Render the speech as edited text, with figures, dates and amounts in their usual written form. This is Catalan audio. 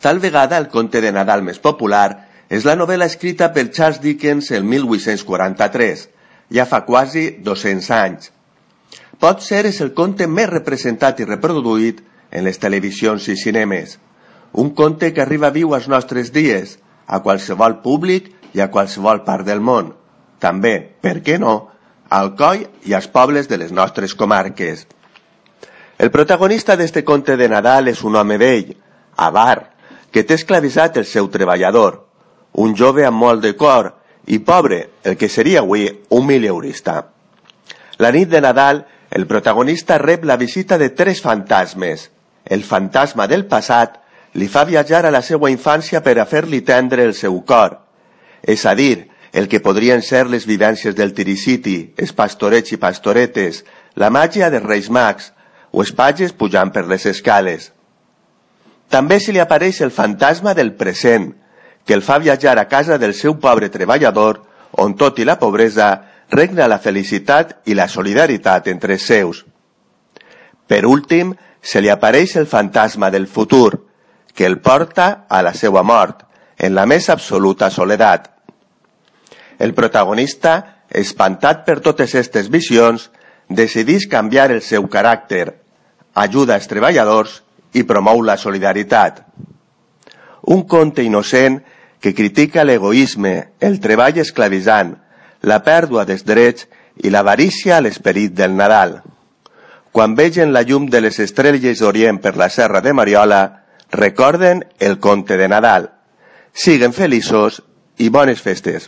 Tal vegada el conte de Nadal més popular és la novel·la escrita per Charles Dickens el 1843, ja fa quasi 200 anys. Potser és el conte més representat i reproduït en les televisions i cinemes. Un conte que arriba viu als nostres dies, a qualsevol públic i a qualsevol part del món. També, per què no, al Alcoi i als pobles de les nostres comarques. El protagonista d'este conte de Nadal és un home vell, avar, que té esclavitzat el seu treballador, un jove amb molt de cor i pobre, el que seria avui un mileurista. La nit de Nadal, el protagonista rep la visita de 3 fantasmes. El fantasma del passat li fa viatjar a la seva infància per a fer-li tendre el seu cor, és a dir, el que podrien ser les vivències del Tiriciti, els pastorets i pastoretes, la màgia dels Reis Mags o els pages pujant per les escales. També se li apareix el fantasma del present, que el fa viatjar a casa del seu pobre treballador, on tot i la pobresa regna la felicitat i la solidaritat entre els seus. Per últim, se li apareix el fantasma del futur, que el porta a la seva mort, en la més absoluta soledat. El protagonista, espantat per totes aquestes visions, decideix canviar el seu caràcter, ajuda els treballadors i promou la solidaritat. Un conte innocent que critica l'egoisme, el treball esclavitzant, la pèrdua dels drets i l'avarícia a l'esperit del Nadal. Quan vegen la llum de les estrelles d'Orient per la serra de Mariola, recorden el conte de Nadal. Siguen feliços i bones festes.